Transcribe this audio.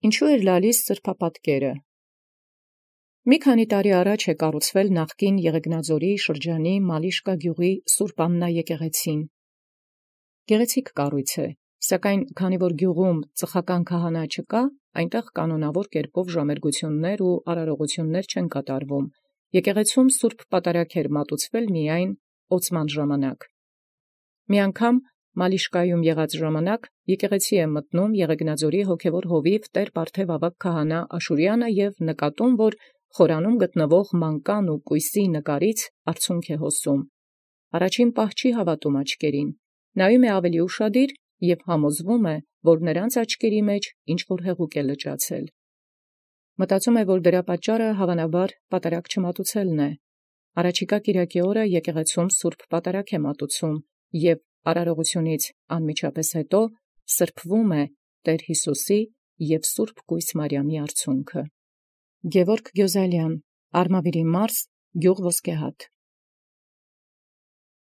Ինչու էր լալիս սրբապատկերը։ Մի քանի տարի առաջ կառուցվել նախկին Եղեգնաձորի շրջանի Մալիշկա գյուղի Սուրբ Աննա եկեղեցին։ Գեղեցիկ կառույց է, սակայն քանի որ գյուղում ծխական քահանա չկա, այնտեղ կանոնավոր կերպով ժամերգություններ ու արարողություններ չեն կատարվում։ Եկեղեցում Սուրբ Պատարագ էր մատուցվել միայն օծման ժամանակ։ Մի անգամ Մալիշկայում եղած ժամանակ եկեղեցի է մտնում Եղեգնաձորի հոգևոր հովիվ Տեր Պարթև ավագ քահանա Աշուրյանը և նկատում, որ խորանում գտնվող մանկան ու կույսի նկարից արցունք է հոսում։ Առաջին պահ չի հավատում աչքերին, նայում է ավելի ուշադիր և համոզվում է, որ նրանց աչքերի մեջ ինչ-որ հեղուկ է լճացել։ Մտածում է, որ դրա պատճառը հավանաբար պատարագ չմատուցելն է։ Առաջիկա կիրակի օրը եկեղեցում Սուրբ Պատարագ է մատուցում և արարողությունից անմիջապես հետո սրբվում է Տեր Յիսուսի և Սուրբ Կույս Մարիամի արցունքը։ Գևորգ Գյոզալյան, Արմավիրի մարզ, գյուղ Ոսկեհատ։